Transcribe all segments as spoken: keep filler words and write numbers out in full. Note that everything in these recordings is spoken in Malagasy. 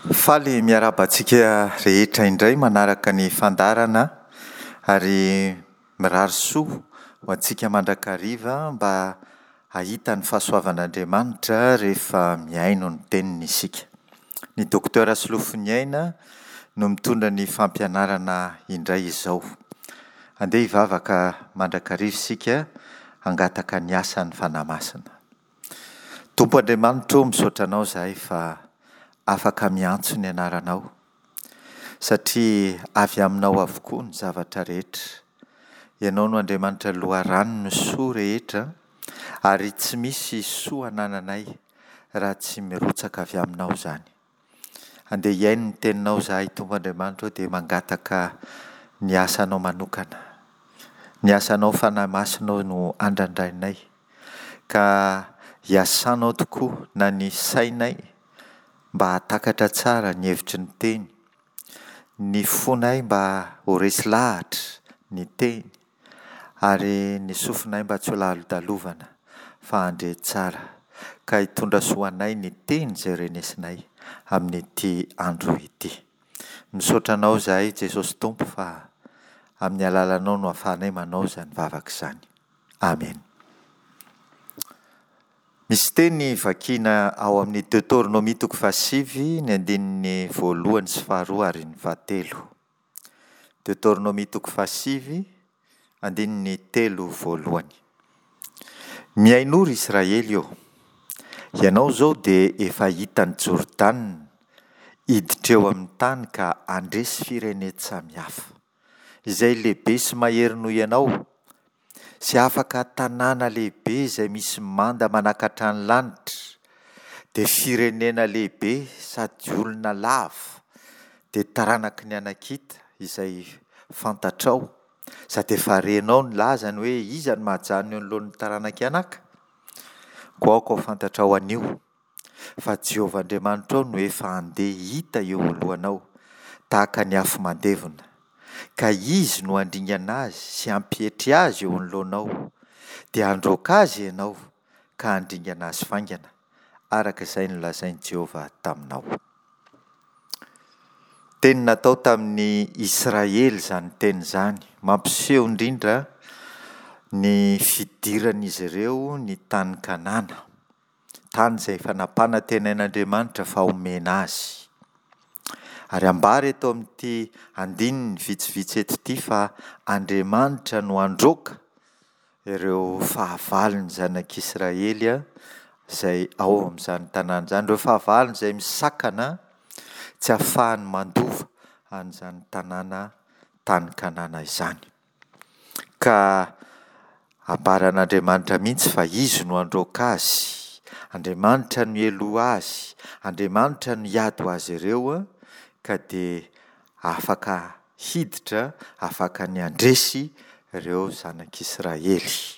Faly miarahaba antsika rehetra indray manaraka ny fandaharana ary mirary soa ho antsika mandrakariva mba hahita ny fahasoavan'Andriamanitra rehefa mihaino ny teniny isika. Ny Docteur Solofoniaina no mitondra ny fampianarana indray izao. Andeha hivavaka mandrakariva isika hangataka ny asan'ny Fanahy Masina. Tompo Andriamanitra ô, misaotra Anao izahay fa afaka miantso ny anaranao, satria avy aminao avokoa ny zavatra rehetra. Ianao no Andriamanitra loharanon'ny soa rehetra, ary tsy misy soa anananay raha tsy mirotsaka avy aminao izany. Andeha hihaino ny teninao izahay Tompo Andriamanitra ô, dia mangataka ny asanao manokana. Ny asanao Fanahy Masinao no andrandrainay, ka hiasanao tokoa na ny sainay mba hahatakatra tsara ny hevitry ny teny, ny fonay mba ho resy lahatra ny teny, ary ny sofinay mba tsy ho lalodalovana fa handre tsara, ka hitondra soa anay ny teny izay renesinay amin'ity andro ity. Misaotra Anao izahay Jesosy Tompo fa amin'ny alalanao no ahafahanay manao izany vavaka izany. Amen. Misy teny vakiana ao amin'ny Deoteronomia toko fahasivy, ny andininy voalohany sy faharoa ary ny fahatelo. Deoteronomia toko fahasivy, andininy telo voalohany. Mihainoa ry Israely ô! Ianao izao dia efa hita an'i Jordana hiditra eo amin'ny tany ka handresy firenen-tsamihafa, izay lehibe sy mahery noho ianao, sy afaka tanàna lehibe izay misy manda manakatra ny lanitra, dia firenena lehibe sady olona lava, dia taranaky ny Anakita izay fantatrao, sady efa renao ny lazany hoe iza no mahajanona eo anoloan'ny taranak'i Anaka? Koa aoka ho fantatrao anio fa Jehovah Andriamanitrao no efa handeha hita eo alohanao tahaka ny afo mandevona, ka Izy no handringana azy sy hampietry azy eo anoloanao, dia handroaka azy ianao ka handringana azy faingana, araka izay nolazain'i Jehovah taminao. Teny natao tamin'ny Israely izany teny izany, mampiseho indrindra ny fidiran'izy ireo ny tany Kanana, tany izay efa nampanantenain'Andriamanitra fa homena azy. Ary ambara eto amin'ity andininy vitsivitsy eto ity fa Andriamanitra no handroaka ireo fahavalon'ny zanak'Israely izay ao amin'izany tanàna izany, ireo fahavalony izay misakana tsy ahafahany mandova an'izany tanàna tany Kanana izany. Ka ambaran'Andriamanitra mihitsy fa Izy no handroaka azy, Andriamanitra no hialoha azy, Andriamanitra no hiady ho azy ireo, ka dia afaka hiditra, afaka ny handresy ireo zanak'Israely.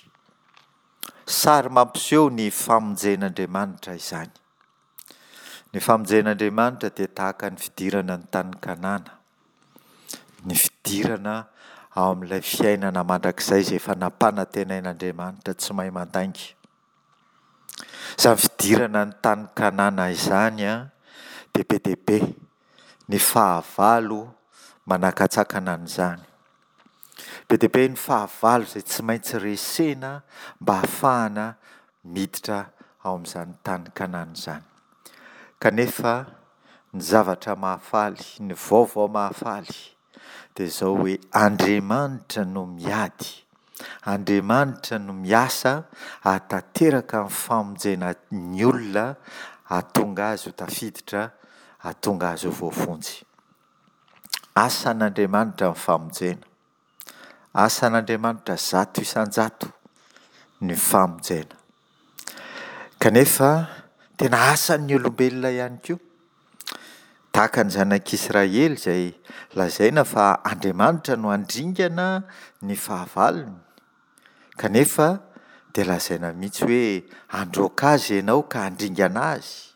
Sary mampiseho ny famonjen'Andriamanitra izany. Ny famonjen'Andriamanitra dia tahaka ny fidirana ny tany Kanana, ny fidirana ao amin'ilay fiainana mandrakizay izay efa nampanantenain'Andriamanitra tsy mahay mandainga. Izany fidirana ny tany Kanana izany dia be dia be ny fahavalo manakatsakana an'izany. Be dia be ny fahavalo izay tsy maintsy resena mba hahafahana miditra ao amin'izany tany Kanana izany. Kanefa ny zavatra mahafaly, ny vaovao mahafaly dia izao hoe Andriamanitra no miady, Andriamanitra no miasa hahatanteraka ny famonjena ny olona hahatonga azy ho tafiditra, hahatonga azy ho voavonjy. Asan'Andriamanitra ny famonjena. Asan'Andriamanitra zato isan-jato ny famonjena. Kanefa tena asan'ny olombelona ihany koa. Tahaka ny zanak'Israely izay lazaina fa Andriamanitra no handringana ny fahavalony. Kanefa dia lazaina mihitsy hoe handroaka azy ianao ka handringana azy.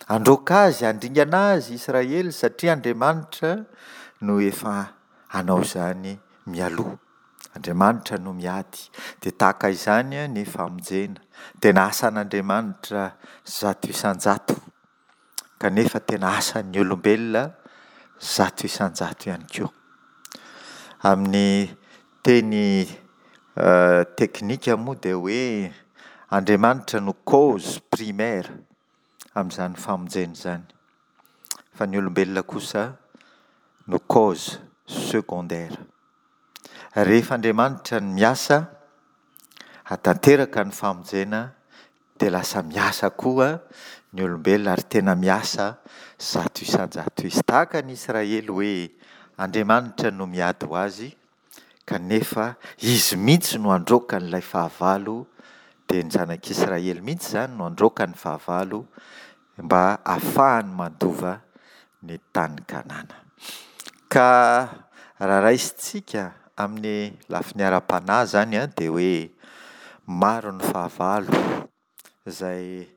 Handroaka azy, handringana azy Israely satria Andriamanitra no efa hanao izany mialoha. Andriamanitra no miady. Dia tahaka izany ny famonjena. Tena asan'Andriamanitra zato isan-jato Kanefa tena asan'ny olombelona zato isan-jato ihany koa. Amin'ny teny teknika moa dia hoe Andriamanitra no cause primaire amin'izany famonjena izany, fa ny olombelona kosa no cause secondaire. Rehefa Andriamanitra no miasa, hahatanteraka ny famonjena dia lasa miasa koa ny olombelona ary tena miasa zato isan-jato izy. Tahaka ny Israely hoe Andriamanitra no miady ho azy kanefa izy mihitsy no handroaka an'ilay fahavalo, dia ny zanak'Israely mihitsy izany no handroaka ny fahavalo mba hahafahany mandova ny tany Kanana. Ka raha raisintsika amin'ny lafiny ara-panahy izany an, dia hoe maro ny fahavalo izay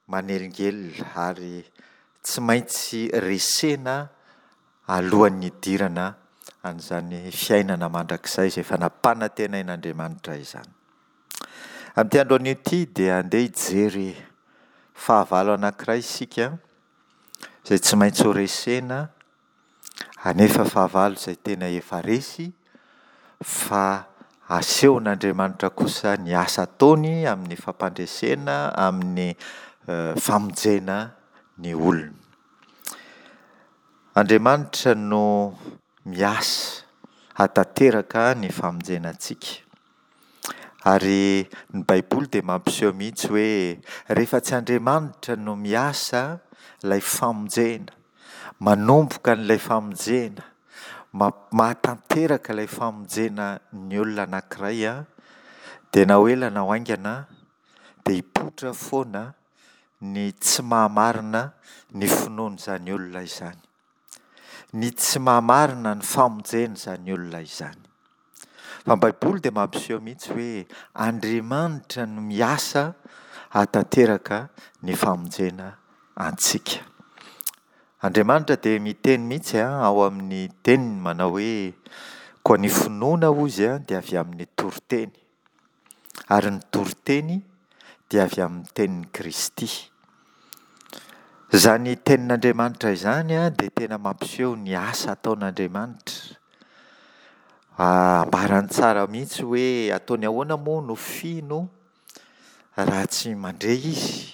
manelingelina ary tsy maintsy resena alohan'ny hidirana an'izany fiainana mandrakizay izay efa nampanantenain'Andriamanitra izany. Amin'ity andro anio ity dia andeha hijery fahavalo anankiray isika izay tsy maintsy ho resena, anefa fahavalo izay tena efa resy, fa asehon'Andriamanitra kosa ny asa ataony amin'ny fampandresena, amin'ny famonjena ny olony. Andriamanitra no miasa hahatanteraka ny famonjena antsika. Ary ny Baiboly dia mampiseho mihitsy hoe rehefa tsy Andriamanitra no miasa ilay famonjena, manomboka an'ilay famonjena, mahatanteraka ilay famonjena ny olona anankiray an, dia na ho ela na ho haingana dia hipoitra foana ny tsy maha-marina ny finoan'izany olona izany. Ny tsy maha-marina ny famonjena izany olona izany. Fa ny Baiboly dia mampiseho mihitsy hoe Andriamanitra no miasa hahatanteraka ny famonjena antsika. Andriamanitra dia miteny mihitsy ao amin'ny teniny manao hoe koa ny finoana hozy dia avy amin'ny toriteny, ary ny toriteny dia avy amin'ny tenin'i Kristy. Izany tenin'Andriamanitra izany dia tena mampiseho ny asa ataon'Andriamanitra. Ambarany tsara mihitsy hoe ataony ahoana moa no fino raha tsy mandre izy?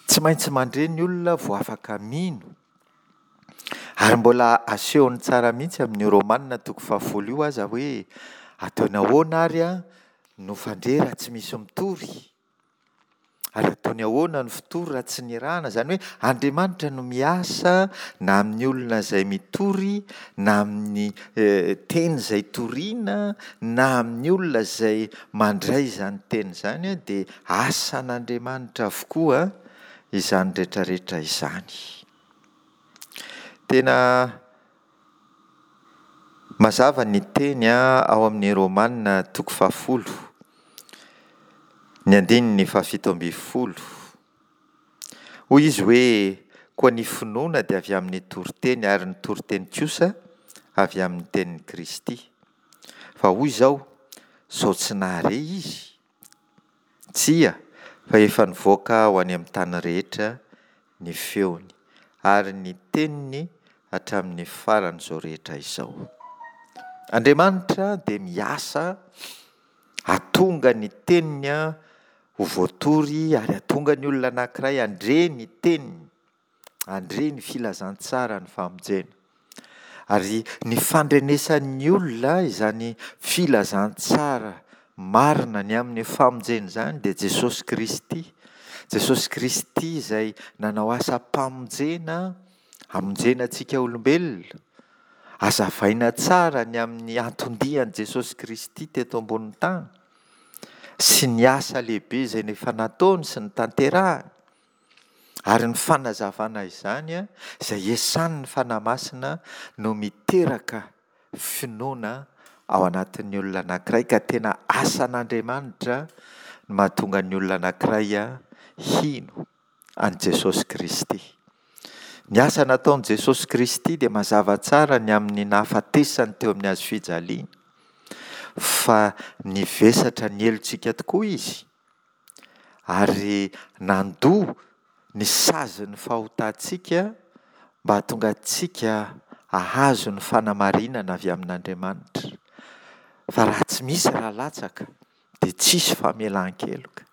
Tsy maintsy mandre ny olona vao afaka mino. Ary mbola asehony tsara mihitsy amin'io Romana toko fahafolo io aza hoe ataony ahoana ary no fandre raha tsy misy mitory? Ary ataony ahoana ny fitory raha tsy nirahana? Izany hoe Andriamanitra no miasa na amin'ny olona izay mitory, na amin'ny teny izay toriana, na amin'ny olona izay mandray izany teny izany, dia asan'Andriamanitra avokoa izany rehetra rehetra izany. Tena mazava ny teny ao amin'ny Romana toko fahafolo, ny andininy fahafito ambin'ny folo. Hoy izy hoe koa ny finoana dia avy amin'ny toriteny ary ny toriteny kosa avy amin'ny tenin'i Kristy. Fa hoy izao, sao tsy nahare izy? Tsia, fa efa nivoaka ho any amin'ny tany rehetra ny feony, ary ny teniny hatramin'ny faran'izao rehetra izao. Andriamanitra dia miasa hahatonga ny teniny ho voatory ary hahatonga ny olona anankiray handre ny teniny, handre ny filazantsara ny famonjena. Ary ny fandrenesan'ny olona izany filazantsara marina ny amin'ny famonjena izany dia Jesosy Kristy. Jesosy Kristy izay nanao asam-pamonjena hamonjena antsika olombelona. Hazavaina tsara ny amin'ny anton-dian'i Jesosy Kristy teto ambonin'ny tany sy ny asa lehibe izay efa nataony sy notanterahany. Ary ny fanazavana izany izay esan'ny Fanahy Masina no miteraka finoana ao anatin'ny olona anankiray, ka tena asan'Andriamanitra no mahatonga ny olona anankiray hino an'i Jesosy Kristy. Ny asa nataon'i Jesosy Kristy dia mazava tsara ny amin'ny nahafatesany teo amin'ny hazo fijaliana, fa nivesatra ny helotsika tokoa Izy ary nandoa ny sazin'ny fahotantsika mba hahatonga antsika hahazo ny fanamarinana avy amin'Andriamanitra. Fa raha tsy misy ra latsaka dia tsisy famelan-keloka.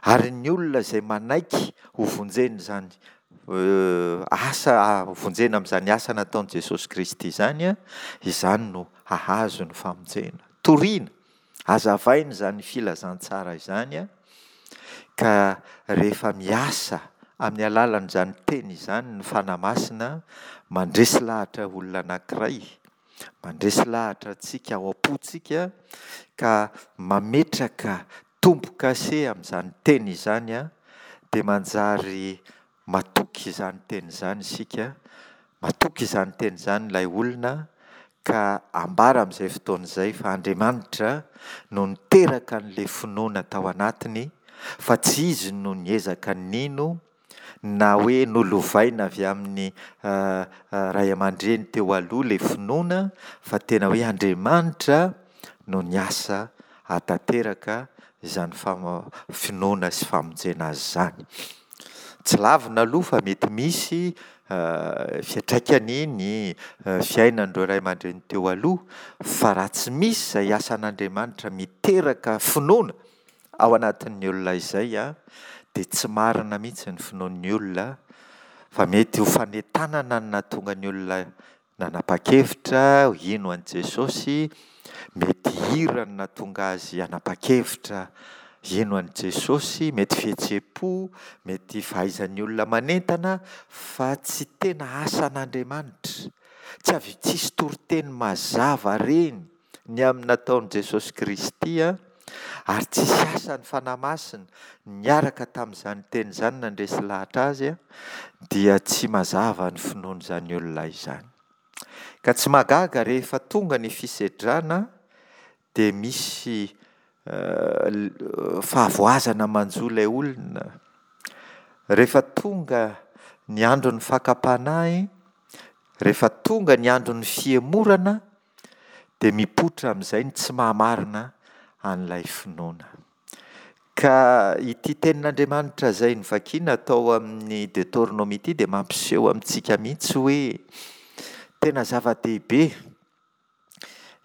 Ary ny olona izay manaiky hovonjen'izany asa hovonjena amin'izany asa nataon'i Jesosy Kristy izany, izany no hahazo ny famonjena. Torina, hazavaina izany filazantsara izany ka rehefa miasa amin'ny alalan'izany teny izany ny Fanahy Masina, mandresy lahatra olona anankiray, mandresy lahatra antsika ao am-pontsika ka mametraka tombo-kase amin'izany teny izany dia manjary matoky izany teny izany isika, matoky izany teny izany ilay olona ka ambara amin'izay fotoana izay fa Andriamanitra no niteraka an'ilay finoana tao anatiny fa tsy izy no niezaka nino na hoe nolovaina avy amin'ny ray aman-dreny teo aloha ilay finoana fa tena hoe Andriamanitra no niasa hahatanteraka izany finoana sy famonjena azy izany. Tsy lavina aloha fa mety misy fiantraikany ny fiainan'ireo ray aman-dreny teo aloha fa raha tsy misy izay asan'Andriamanitra miteraka finoana ao anatin'ny olona izay dia tsy marina mihitsy ny finoan'ny olona fa mety ho fanentanana no nahatonga ny olona nanapa-kevitra hino an'i Jesosy, mety hira no nahatonga azy hanapa-kevitra hino an'i Jesosy, mety fihetseham-po, mety fahaizan'ny olona manentana fa tsy tena asan'Andriamanitra. Tsy avy tsisy toriteny mazava reny ny amin'ny nataon'i Jesosy Kristy ary tsisy asan'ny Fanahy Masina niaraka tamin'izany teny izany nandresy lahatra azy dia tsy mazava ny finoan'izany olona izany. Ka tsy mahagaga rehefa tonga ny fisedrana dia misy fahavoazana manjo ilay olona. Rehefa tonga ny andron'ny fakam-panahy, rehefa tonga ny andron'ny fihemorana dia mipoitra amin'izay ny tsy maha-marina an'ilay finoana. Ka ity tenin'Andriamanitra izay novakiana tao amin'ny Deoteronomia ity dia mampiseho amintsika mihitsy hoe tena zava-dehibe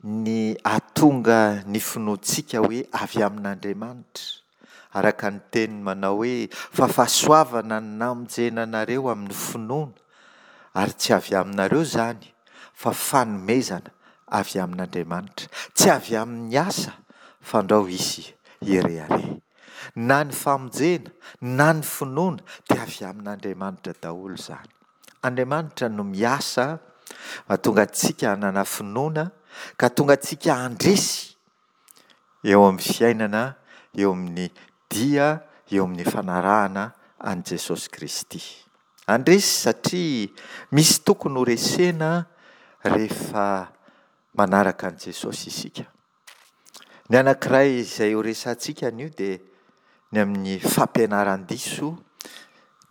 ny hahatonga ny finoantsika hoe avy amin'Andriamanitra. Araka ny teniny manao hoe fa fahasoavana no namonjena anareo amin'ny finoana, ary tsy avy aminareo izany fa fanomezana avy amin'Andriamanitra, tsy avy amin'ny asa fandrao hisy hirehareha. Na ny famonjena na ny finoana dia avy amin'Andriamanitra daholo izany. Andriamanitra no miasa mahatonga antsika hanana finoana ka tonga antsika handresy eo amin'ny fiainana, eo amin'ny dia, eo amin'ny fanarahana an'i Jesosy Kristy. Handresy satria misy tokony ho resena rehefa manaraka an'i Jesosy isika. Ny anankiray izay ho resahantsika anio dia ny amin'ny fampianaran-diso,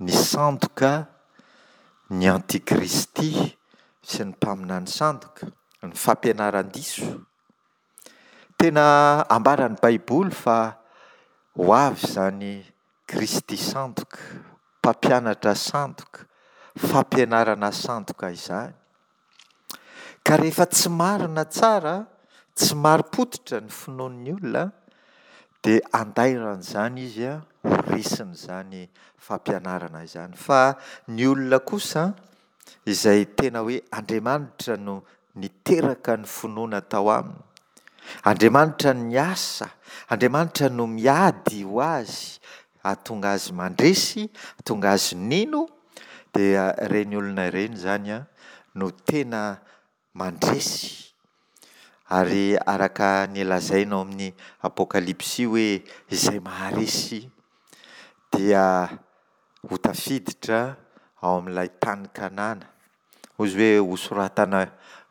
ny sandoka, ny antikristy sy ny mpaminany sandoka, ny fampianaran-diso. Tena ambaran'ny Baiboly fa ho avy izany Kristy sandoka, mpampianatra sandoka, fampianarana sandoka izany. Ka rehefa tsy marina tsara, tsy marim-pototra ny finoan'ny olona dia andairan'izany izy ho resin'izany fampianarana izany. Fa ny olona kosa izay tena hoe Andriamanitra no niteraka ny finoana tao aminy, Andriamanitra niasa, Andriamanitra no miady ho azy hahatonga azy mandresy, hahatonga azy nino, dia ireny olona ireny izany no tena mandresy. Ary araka ny lazaina ao amin'ny Apokalypsy hoe izay maharesy dia ho tafiditra ao amin'ilay tany Kanana. Hoy izy hoe hosoratana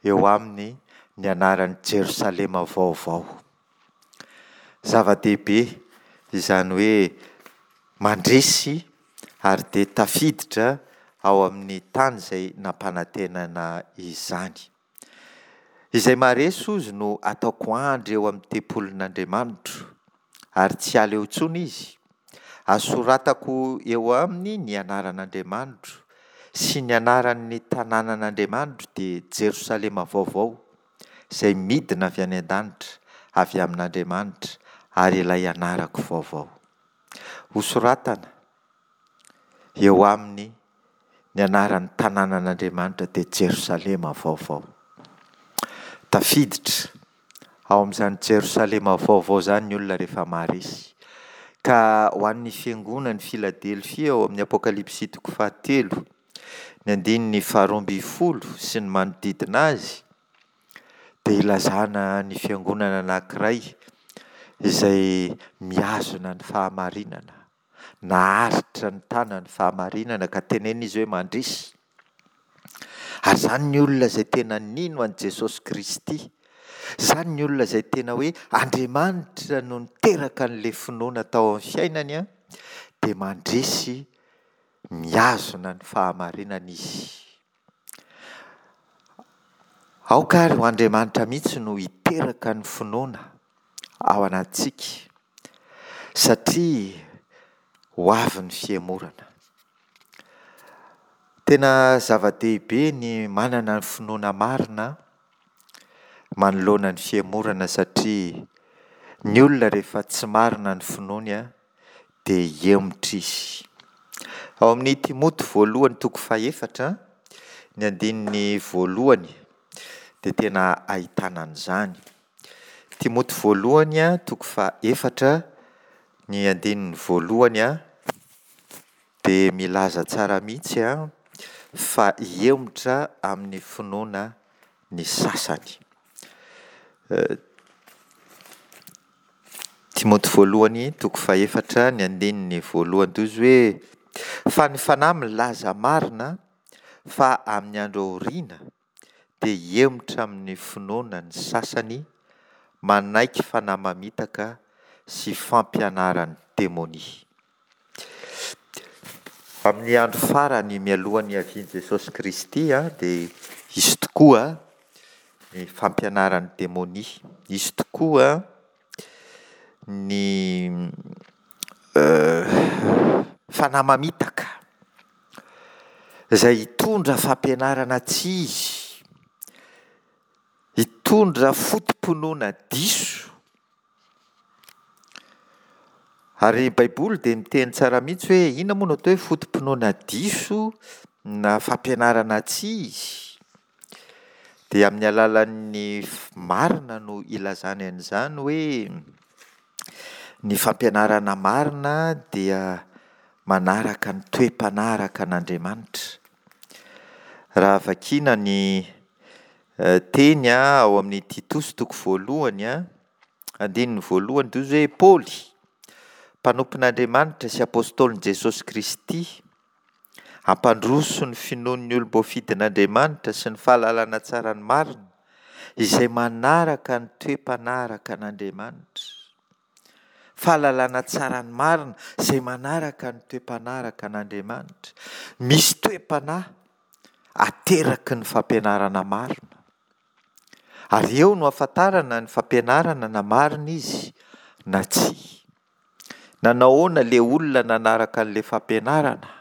eo aminy ny anaran'i Jerosalema vaovao. Zava-dehibe izany hoe mandresy ary dia tafiditra ao amin'ny tany izay nampanantenana izany. Izay maharesy hozy no ataoko andry eo amin'ny tempolin'Andriamanitro, ary tsy hiala eo intsony izy, Asoratako eo aminy ny anaran'Andriamanitro sy ny anaran'ny tanànan'Andriamanitro, dia Jerosalema vaovao, izay midina avy any an-danitra, avy amin'Andriamanitra, ary ilay anarako vaovao. Hosoratana eo aminy ny anaran'ny tanànan'Andriamanitra, dia Jerosalema vaovao. Tafiditra ao amin'izany Jerosalema vaovao izany ny olona rehefa maharesy. Ka ho an'ny fiangonan'i Filadelfia ao amin'ny Apokalypsy toko fahatelo, ny andininy faharoa ambin'ny folo sy ny manodidina azy, dia ilazana ny fiangonana anankiray izay mihazona ny fahamarinana, naharitra nitana ny fahamarinana ka tenenina izy hoe mandresy. Ary izany ny olona izay tena nino an'i Jesosy Kristy, izany ny olona izay tena hoe Andriamanitra no niteraka an'ilay finoana tao amin'ny fiainany, dia mandresy mihazona ny fahamarinana izy. Aoka ary ho Andriamanitra mihitsy no hiteraka ny finoana ao anatintsika, satria ho avy ny fihemorana. Tena zava-dehibe ny manana ny finoana marina manoloana ny fihemorana, satria ny olona rehefa tsy marina ny finoany dia hihemotra izy. Ao amin'ny Timoty voalohany toko fahefatra, ny andininy voalohany dia tena ahitana an'izany. Timoty voalohany toko fahefatra, ny andininy voalohany dia milaza tsara mihitsy fa hihemotra amin'ny finoana ny sasany. Timoty voalohany toko fahefatra, ny andininy voalohany toy izy hoe: fa ny Fanahy milaza marina fa amin'ny andro aoriana dia hihemotra amin'ny finoana ny sasany, manaiky fanahy mamitaka sy fampianaran'ny demonia. Amin'ny andro farany mialohan'ny hiavian'i Jesosy Kristy dia hisy tokoa ny fampianaran'ny demonia, hisy tokoa ny fanahy mamitaka izay hitondra fampianarana tsy izy, hitondra foto-pinoana diso. Ary ny Baiboly dia miteny tsara mihitsy hoe inona moa no atao hoe foto-pinoana diso na fampianarana tsy izy? Dia amin'ny alalan'ny marina no ilazany an'izany hoe ny fampianarana marina dia manaraka ny toe-panahy araka an'Andriamanitra. Raha vakiana ny teny ao amin'ny Titosy toko voalohany, andininy voalohany dia hoy izy hoe Paoly, mpanompon'Andriamanitra sy apostolin'i Jesosy Kristy, hampandroso ny finoan'ny olom-boafidin'Andriamanitra sy ny fahalalana tsara ny marina, izay manaraka ny toe-panahy araka an'Andriamanitra. Fahalalana tsara ny marina, izay manaraka ny toe-panahy araka an'Andriamanitra. Misy toe-panahy ateraky ny fampianarana marina. Ary eo no ahafantarana ny fampianarana na marina izy na tsia. Nanao ahoana ilay olona nanaraka an'ilay fampianarana?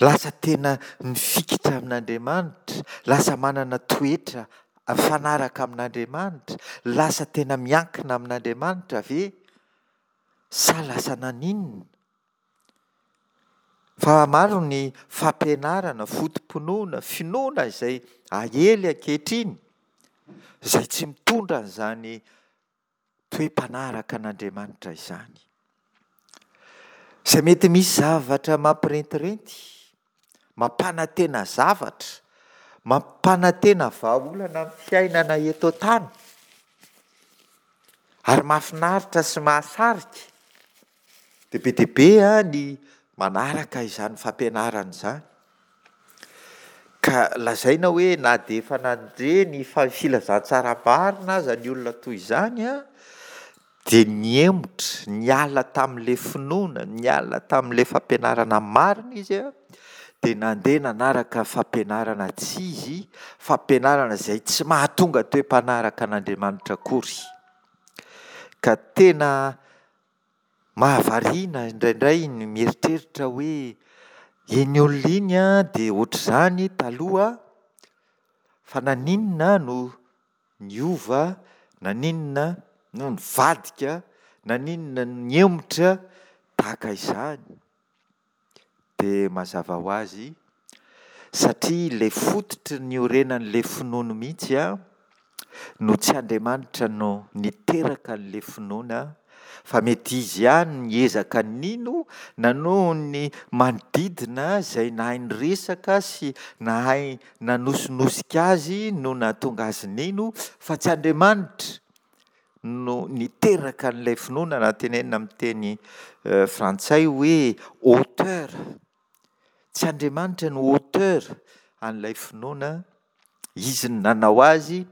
Lasa tena mifikitra amin'Andriamanitra, lasa manana toetra mifanaraka amin'Andriamanitra, lasa tena miankina amin'Andriamanitra ve? Sa lasa naninona? Fa maro ny fampianarana, foto-pinoana, finoana izay aely ankehitriny, izay tsy mitondra an'izany toe-panahy araka an'Andriamanitra izany. Izay mety misy zavatra mampirentirenty, mampanantena zavatra, mampanantena vahaolana amin'ny fiainana eto an-tany, ary mahafinaritra sy mahasarika, dia be dia be ny manaraka izany fampianarana izany. Ka lazaina hoe na dia efa nandre ny filazantsara marina aza ny olona toy izany, dia nihemotra, niala tamin'ilay finoana, niala tamin'ilay fampianarana marina izy, dia nandeha nanaraka fampianarana tsy izy, fampianarana izay tsy mahatonga toe-panahy araka an'Andriamanitra akory. Ka tena Mahavariana indraindray ny mieritreritra hoe iny olona iny an dia ohatr'izany taloha, fa naninona no niova, naninona no nivadika, naninona no nihemotra tahaka izany? Dia mazava ho azy satria ilay fototra niorenan'ilay finoany mihitsy an no tsy Andriamanitra no niteraka an'ilay finoana fa mety izy ihany no niezaka nino na noho ny manodidina izay nahay niresaka sy nahay nanosinosika azy no nahatonga azy nino fa tsy Andriamanitra no niteraka an'ilay finoana na tenenina amin'ny teny frantsay hoe auteur, tsy Andriamanitra no auteur an'ilay finoana, izy no nanao azy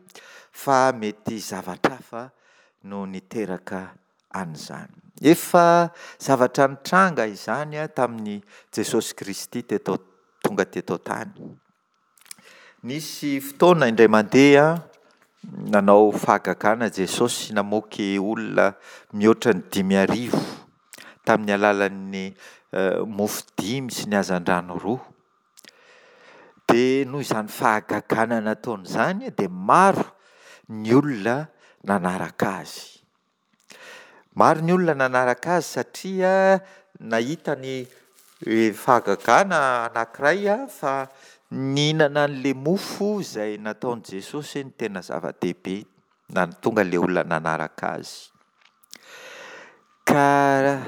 fa mety zavatra hafa no niteraka an'izany. Efa zavatra nitranga izany tamin'i Jesosy Kristy teto tonga teto an-tany. Nisy fotoana indray mandeha nanao fahagagana Jesosy namoky olona mihoatra ny dimy arivo tamin'ny alalan'ny mofo dimy sy ny hazandrano roa. Dia noho izany fahagagana nataony izany dia maro ny olona nanaraka azy. Maro ny olona nanaraka azy satria nahita ny fahagagana anankiray fa nihinana an'ilay mofo izay nataon'i Jesosy no tena zava-dehibe nahatonga ilay olona nanaraka azy. Ka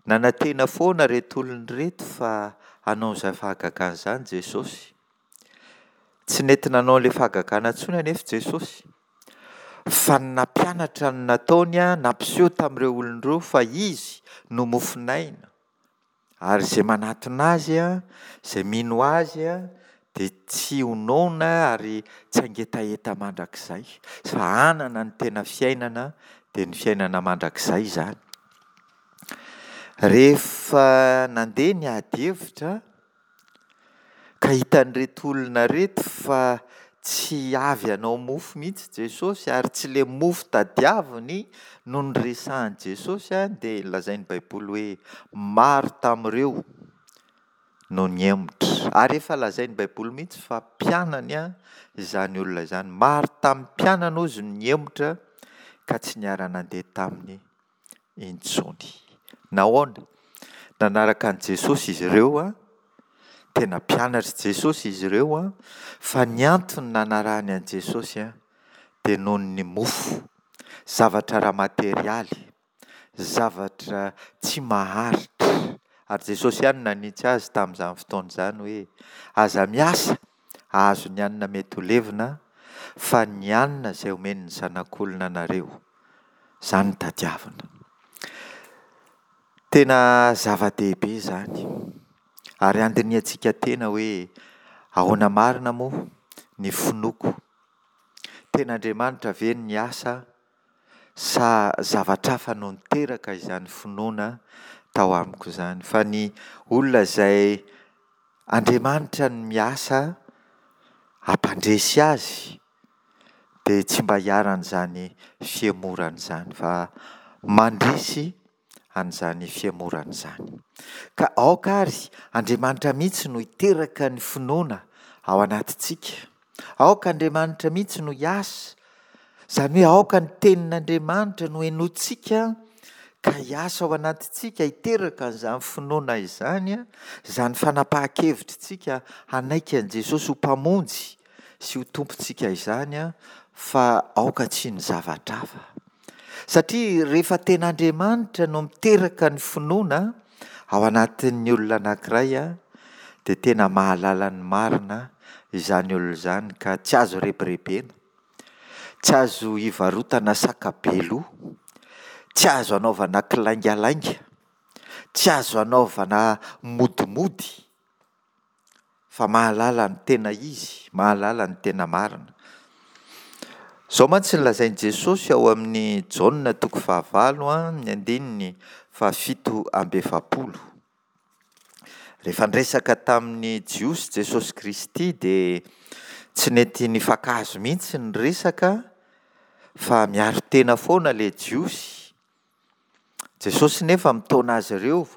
nanantena foana ireto olona ireto fa hanao an'izany fahagagana izany Jesosy. Tsy nety nanao an'ilay fahagagana intsony anefa Jesosy fa ny nampianatra no nataony, nampiseho tamin'ireo olona ireo fa Izy no mofon'aina ary izay manatona Azy, izay mino Azy dia tsy ho noana ary tsy hangetaheta mandrakizay fa hanana ny tena fiainana dia ny fiainana mandrakizay izany. Rehefa nandeha ny ady hevitra ka hitan'ireto olona ireto fa tsy avy hanao mofo mihitsy Jesosy ary tsy ilay mofo tadiaviny no noresahan'i Jesosy dia lazain'ny Baiboly hoe maro tamin'ireo no nihemotra. Ary efa lazain'ny Baiboly mihitsy fa mpianany izany olona izany. Maro tamin'ny mpianany hozy no nihemotra ka tsy niara-nandeha taminy intsony. Nahoana? Nanaraka an'i Jesosy izy ireo, tena mpianatr'i Jesosy izy ireo, fa ny antony nanarahany an'i Jesosy dia noho ny mofo, zavatra ara-materialy, zavatra tsy maharitra. Ary Jesosy ihany no nanitsy azy tamin'izany fotoana izany hoe aza miasa hahazo ny hanina mety ho levona fa ny hanina izay omen'ny zanak'olona anareo, izany no tadiavina. Tena zava-dehibe izany ary handinihantsika tena hoe ahoana marina moa ny finoako? Tena Andriamanitra ve no niasa sa zavatra hafa no niteraka izany finoana tao amiko izany? Fa ny olona izay Andriamanitra no miasa hampandresy azy dia tsy mba iharan'izany fihemorana izany fa mandresy an'izany fihemorana izany. Ka aoka ary Andriamanitra mihitsy no hiteraka ny finoana ao anatintsika. Aoka Andriamanitra mihitsy no hiasa. Izany hoe aoka ny tenin'Andriamanitra no henointsika ka hiasa ao anatintsika, hiteraka an'izany finoana izany, izany fanapahan-kevitritsika hanaiky an'i Jesosy ho Mpamonjy sy ho Tompontsika izany, fa aoka tsy ny zavatra hafa. Satria rehefa tena Andriamanitra no miteraka ny finoana ao anatin'ny olona anankiray, dia tena mahalala ny marina izany olona izany ka tsy azo rebirebena, tsy azo ivarotana saka be loha, tsy azo anaovana kilaingalainga, tsy azo anaovana modimody fa mahalala ny tena izy, mahalala ny tena marina. Izao mantsy no lazain'i Jesosy ao amin'ny Jaona toko fahavalo, ny andininy fahafito amby efapolo. Rehefa niresaka tamin'ny Jiosy Jesosy Kristy dia tsy nety nifankahazo mihitsy ny resaka fa miaro tena foana ilay Jiosy. Jesosy nefa mitaona azy ireo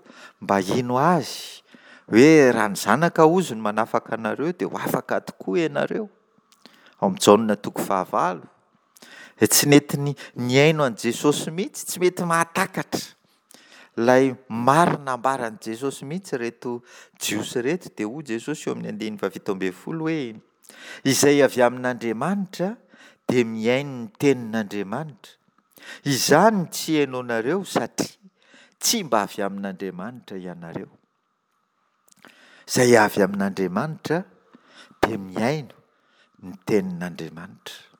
mba hino azy hoe raha ny zanaka hozy no manafaka anareo dia ho afaka tokoa ianareo. Ao amin'ny Jaona toko fahavalo. Dia tsy nety nihaino an'i Jesosy mihitsy, tsy mety mahatakatra ilay marina ambaran'i Jesosy mihitsy ireto Jiosy ireto. Dia hoy Jesosy eo amin'ny andininy fahafito ambin'ny folo hoe izay avy amin'Andriamanitra dia mihaino ny tenin'Andriamanitra. Izany no tsy henoinareo satria tsy mba avy amin'Andriamanitra ianareo. Izay avy amin'Andriamanitra dia mihaino ny tenin'Andriamanitra.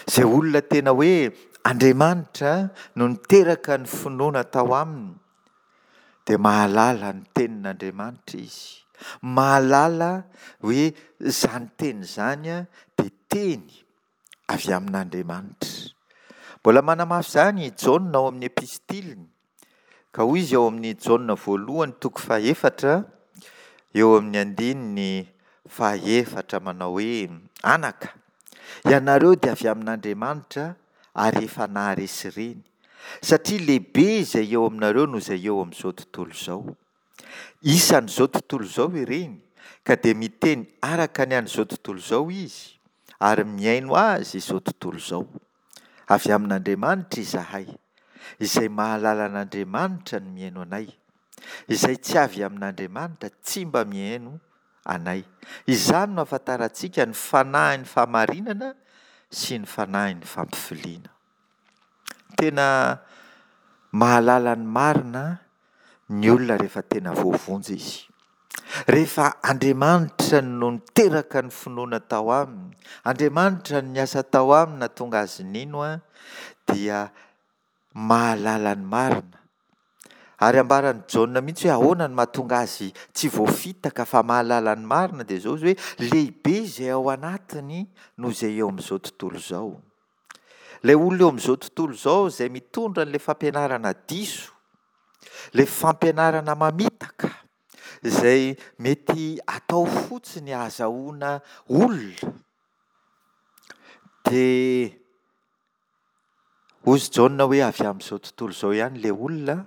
Izay olona tena hoe Andriamanitra no niteraka ny finoana tao aminy dia mahalala ny tenin'Andriamanitra izy. Mahalala hoe izany teny izany dia teny avy amin'Andriamanitra. Mbola manamafy izany i Jaona ao amin'ny epistiliny. Ka hoy izy ao amin'ny Jaona voalohany toko fahefatra eo amin'ny andininy fahefatra manao hoe anaka, ianareo dia avy amin'Andriamanitra ary efa naharesy ireny, satria lehibe izay eo aminareo noho izay eo amin'izao tontolo izao. Isan'izao tontolo izao ireny, ka dia miteny araka ny an'izao tontolo izao izy, ary mihaino azy izao tontolo izao. Avy amin'Andriamanitra izahay, izay mahalala an'Andriamanitra no mihaino anay. Izay tsy avy amin'Andriamanitra tsy mba mihaino anay. Izany no ahafantarantsika ny fanahin'ny fahamarinana sy ny fanahin'ny fampifiliana. Tena mahalala ny marina ny olona rehefa tena voavonjy izy. Rehefa Andriamanitra no niteraka ny finoana tao aminy, Andriamanitra no niasa tao aminy nahatonga azy nino, dia mahalala ny marina. Ary ambaran'i Jaona mihitsy hoe ahoana no mahatonga azy tsy voafitaka fa mahalala ny marina, dia izao izy hoe lehibe izay ao anatiny noho izay eo amin'izao tontolo izao. Ilay olona eo amin'izao tontolo izao izay mitondra an'ilay fampianarana diso, ilay fampianarana mamitaka, izay mety atao fotsiny ahazahoana olona, dia hoy Jaona hoe avy amin'izao tontolo izao ihany ilay olona,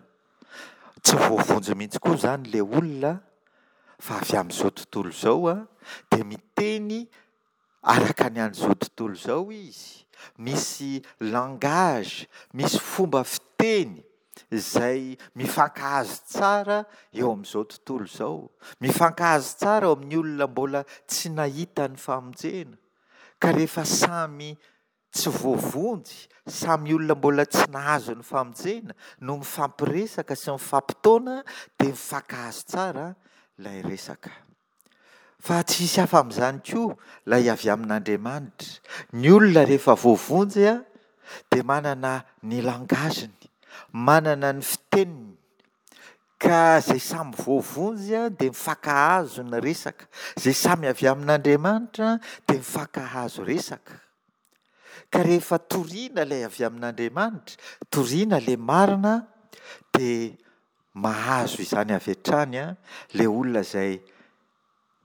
tsy voavonjy mihitsy koa izany ilay olona fa avy amin'izao tontolo izao, dia miteny araka ny an'izao tontolo izao izy. Misy langage, misy fomba fiteny izay mifankahazo tsara eo amin'izao tontolo izao. Mifankahazo tsara eo amin'ny olona mbola tsy nahita ny famonjena. Ka rehefa samy tsy voavonjy, samy olona mbola tsy nahazo ny famonjena no mifampiresaka sy mifampitaona dia mifankahazo tsara ilay resaka. Fa tsy hisy hafa amin'izany koa ilay avy amin'Andriamanitra. Ny olona rehefa voavonjy dia manana ny langage-ny, manana ny fiteniny. Ka izay samy voavonjy dia mifankahazo ny resaka. Izay samy avy amin'Andriamanitra dia mifankahazo resaka. Ka rehefa toriana ilay avy amin'Andriamanitra, toriana ilay marina, dia mahazo izany avy hatrany ilay olona izay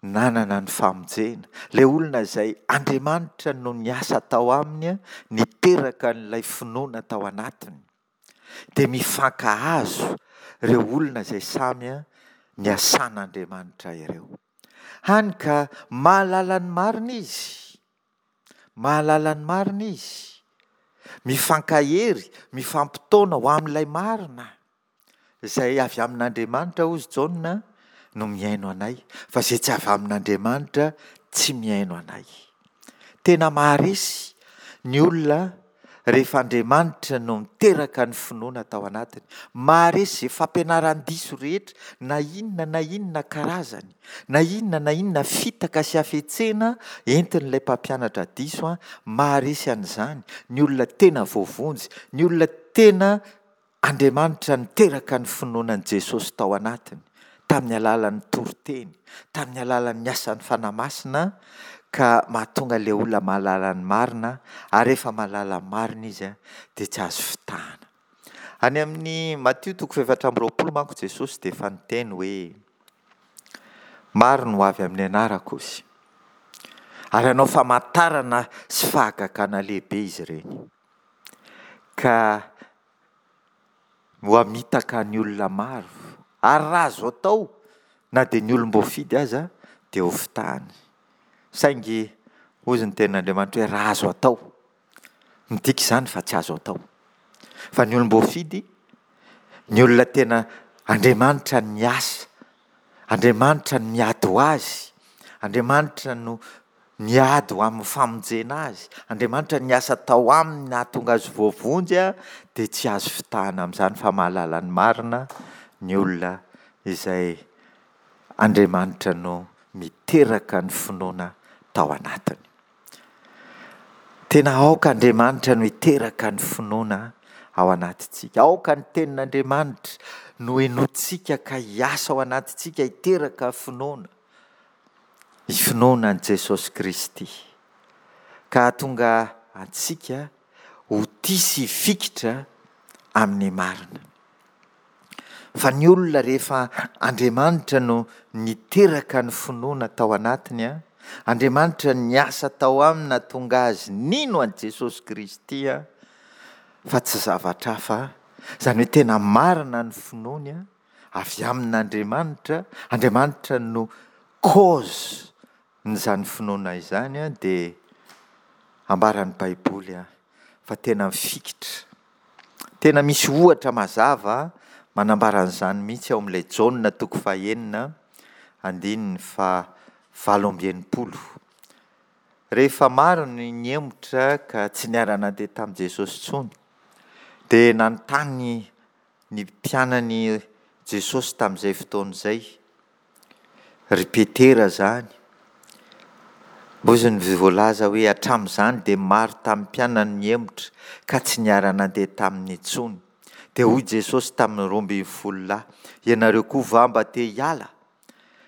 nanana ny famonjena, ilay olona izay Andriamanitra no niasa tao aminy, niteraka an'ilay finoana tao anatiny. Dia mifankahazo ireo olona izay samy niasan'Andriamanitra ireo. Hany ka mahalala ny marina izy. Mahalala ny marina izy. Mifankahery, mifampitaona ho amin'ilay marina izay avy amin'Andriamanitra, hoy Jaona, no mihaino anay, fa izay tsy avy amin'Andriamanitra tsy mihaino anay. Tena maharesy ny olona rehefa Andriamanitra no niteraka ny finoana tao anatiny. Maharesy izay fampianaran-diso rehetra, na inona na inona karazany, na inona na inona fitaka sy hafetsena entin'ilay mpampianatra diso, maharesy an'izany ny olona tena voavonjy, ny olona tena Andriamanitra niteraka ny finoana an'i Jesosy tao anatiny, tamin'ny alalan'ny toriteny, tamin'ny alalan'ny asan'ny Fanahy Masina, ka mahatonga ilay olona mahalala ny marina, ary rehefa mahalala ny marina izy dia tsy azo fitahana. Any amin'ny Matio toko fahefatra amby roapolo manko Jesosy dia efa niteny hoe maro no ho avy amin'ny anarako izy, ary hanao famantarana sy fahagagana lehibe izy ireny. Ka ho hamitaka ny olona maro, ary raha azo atao na dia ny olom-boafidy aza dia hofitahany. Saingy hozy ny tenin'Andriamanitra hoe raha azo atao. Midika izany fa tsy azo atao. Fa ny olom-boafidy, ny olona tena Andriamanitra niasa, Andriamanitra no miady ho azy, Andriamanitra no niady ho amin'ny famonjena azy, Andriamanitra niasa tao aminy nahatonga azy voavonjy, dia tsy azo fitahana amin'izany fa mahalala ny marina ny olona izay Andriamanitra no miteraka ny finoana tao anatiny. Tena aoka Andriamanitra no hiteraka ny finoana ao anatintsika. Aoka ny tenin'Andriamanitra no henointsika ka hiasa ao anatintsika hiteraka finoana. Ny finoana an'i Jesosy Kristy. Ka hahatonga antsika ho tia sy hifikitra amin'ny marina. Fa ny olona rehefa Andriamanitra no niteraka ny finoana tao anatiny, Andriamanitra niasa tao aminy nahatonga azy nino an'i Jesosy Kristy fa tsy zavatra hafa, izany hoe tena marina ny finoany avy amin'Andriamanitra, Andriamanitra no cause n'izany finoana izany dia ambaran'ny Baiboly fa tena mifikitra. Tena misy ohatra mazava manambara an'izany mihitsy ao amin'ilay Jaona toko fahenina andininy faha valo amby enimpolo. Rehefa maro ny nihemotra ka tsy niara-nandeha tamin'i Jesosy intsony, dia nanontany ny mpianany Jesosy tamin'izay fotoana izay, ry Petera izany. Hozy ny voalaza hoe hatramin'izany dia maro tamin'ny mpianany nihemotra ka tsy niara-nandeha taminy intsony. Dia hoy Jesosy tamin'ny roa ambin'ny folo lahy, ianareo koa va mba te hiala?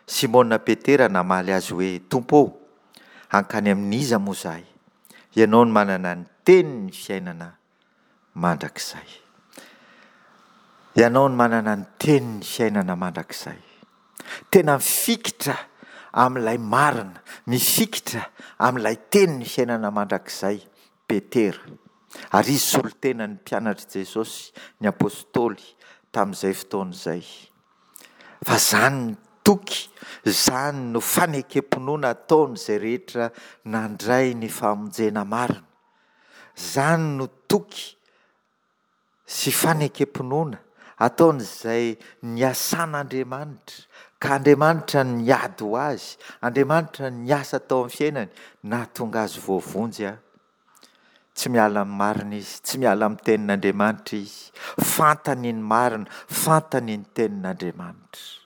Simona Petera namaly azy hoe, Tompo ô, hankany amin'iza moa izahay? Ianao no manana ny tenin'ny fiainana mandrakizay. Ianao no manana ny tenin'ny fiainana mandrakizay. Tena mifikitra amin'ilay marina, mifikitra amin'ilay tenin'ny fiainana mandrakizay Petera. Ary izy solontenan'ny mpianatr'i Jesosy, ny apostoly, tamin'izay fotoana izay. Fa izany ny toky, izany no fanekem-pinoana ataon'izay rehetra nandray ny famonjena marina. Izany no toky sy fanekem-pinoana ataon'izay niasan'Andriamanitra, ka Andriamanitra niady ho azy, Andriamanitra niasa tao amin'ny fiainany, nahatonga azy voavonjy. Tsy miala amin'ny marina izy, tsy miala amin'ny tenin'Andriamanitra izy. Fantany ny marina, fantany ny tenin'Andriamanitra.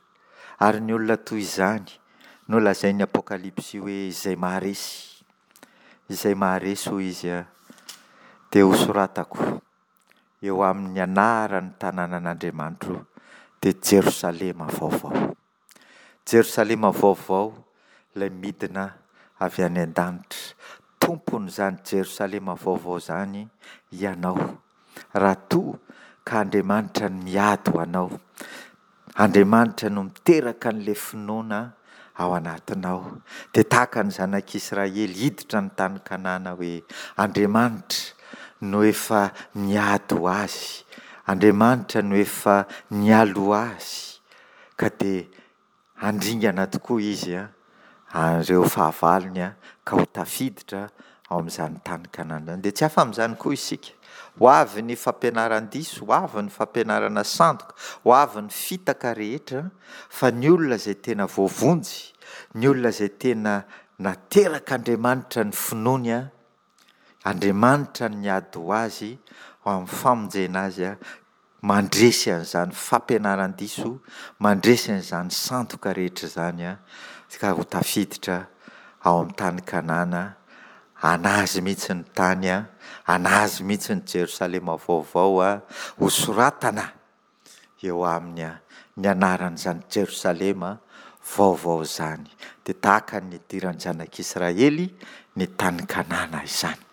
Ary ny olona toy izany no lazain'ny Apokalypsy hoe izay maharesy, izay maharesy hoy izy dia hosoratako eo amin'ny anaran'ny tanànan'Andriamanitro dia Jerosalema vaovao. Jerosalema vaovao ilay midina avy any an-danitra. Tompon'izany Jerosalema vaovao izany ianao, raha toa ka Andriamanitra no miady ho anao. Andriamanitra no miteraka an'ilay finoana ao anatinao. Dia tahaka ny zanak'Israely hiditra ny tany Kanana hoe Andriamanitra no efa niady ho azy, Andriamanitra no efa nialoha azy, ka dia handringana tokoa izy an'ireo fahavalony ka ho tafiditra ao amin'izany tany Kanana izany. Dia tsy hafa amin'izany koa isika. Ho avy ny fampianaran-diso, ho avy ny fampianarana sandoka, ho avy ny fitaka rehetra, fa ny olona izay tena voavonjy, ny olona izay tena naterak'Andriamanitra ny finoany, Andriamanitra no niady ho azy ho amin'ny famonjena azy, mandresy an'izany fampianaran-diso, mandresy an'izany sandoka rehetra izany, ka ho tafiditra ao amin'ny tany Kanana, an'azy mihitsy ny tany, an'azy mihitsy ny Jerosalema vaovao, hosoratana eo aminy ny anaran'izany Jerosalema vaovao izany. Dia tahaka ny nidiran'ny zanak'Israely ny tany Kanana izany.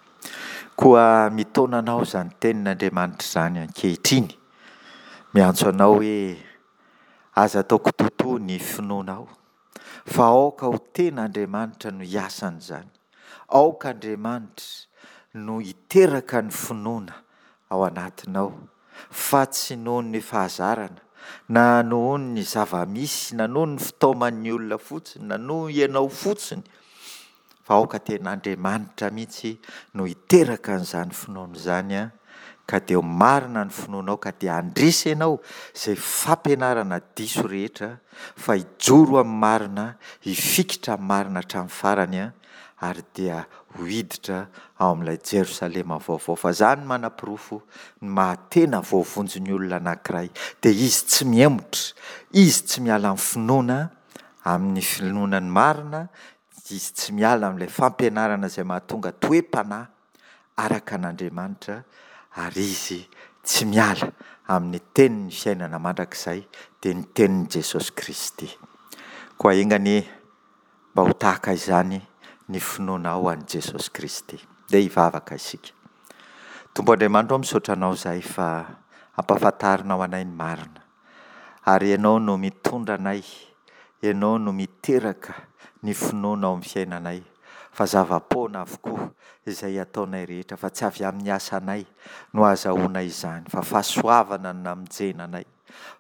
Koa mitaona anao izany tenin'Andriamanitra izany ankehitriny. Miantso anao hoe aza atao kitoatoa ny finoanao, fa aoka ho tena Andriamanitra no hiasan'izany. Aoka Andriamanitra no hiteraka ny finoana ao anatinao. fa tsy noho ny fahazarana, na noho ny zava-misy, na noho ny fitaoman'ny olona fotsiny, na noho ianao fotsiny, fa aoka tena Andriamanitra mihitsy no hiteraka an'izany finoana izany an, ka dia ho marina ny finoanao ka dia handresy ianao izay fampianarana diso rehetra fa hijoro amin'ny marina, hifikitra amin'ny marina hatramin'ny farany an, ary dia ho hiditra ao amin'ilay Jerosalema vaovao. Fa izany no manaporofo ny maha tena voavonjy ny olona anankiray, dia izy tsy mihemotra, izy tsy miala amin'ny finoana, amin'ny finoana ny marina, izy tsy miala amin'ilay fampianarana izay mahatonga toe-panahy araka an'Andriamanitra, ary izy tsy miala amin'ny tenin'ny fiainana mandrakizay, dia ny tenin'i Jesosy Kristy. Koa enga anie mba ho tahaka izany ny finoanao an'i Jesosy Kristy. Ndeha hivavaka isika. Tompo Andriamanitra ô, misaotra Anao izahay fa ampahafantarinao anay ny marina. Ary Ianao no mitondra anay, Ianao no miteraka ny finoana ao amin'ny fiainanay, fa zava-poana avokoa izay ataonay rehetra, fa tsy avy amin'ny asanay no ahazahoanay izany, fa fahasoavana no namonjena anay,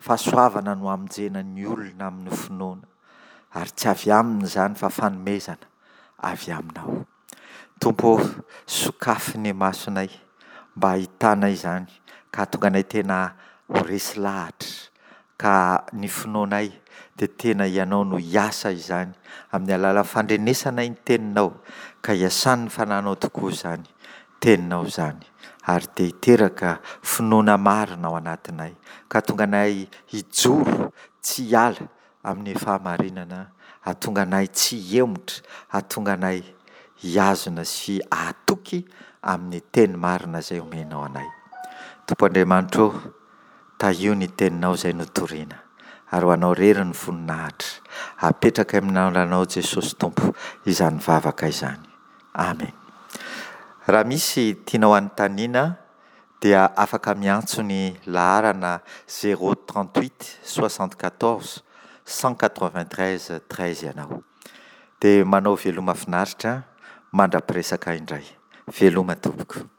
fahasoavana no hamonjena ny olona amin'ny finoana, ary tsy avy aminy izany fa fanomezana avy Aminao. Tompo ô, sokafy ny masonay mba hahitana izany ka hahatonga anay tena ho resy lahatra ka ny finoanay dia tena Ianao no hiasa izany amin'ny alalan'ny fandrenesanay ny Teninao ka hiasan'ny Fanahinao tokoa izany Teninao izany ary dia hiteraka finoana marina ao anatinay ka hahatonga anay hijoro tsy hiala amin'ny fahamarinana, hahatonga anay tsy hihemotra, hahatonga anay hihazona sy hahatoky amin'ny teny marina izay omenao anay. Tompo Andriamanitra ô, tahio ny teninao izay notorina, ary ho anao irery ny voninahitra. Apetraka amin'ny anaranao Jesosy Tompo izany vavaka izany. Amen. Raha misy tianao hanontaniana dia afaka miantso ny laharana zéro trente huit soixante quatorze cent quatre vingt treize treize ianao. Dia manao veloma finaritra mandra-piresaka indray. Veloma tompoko.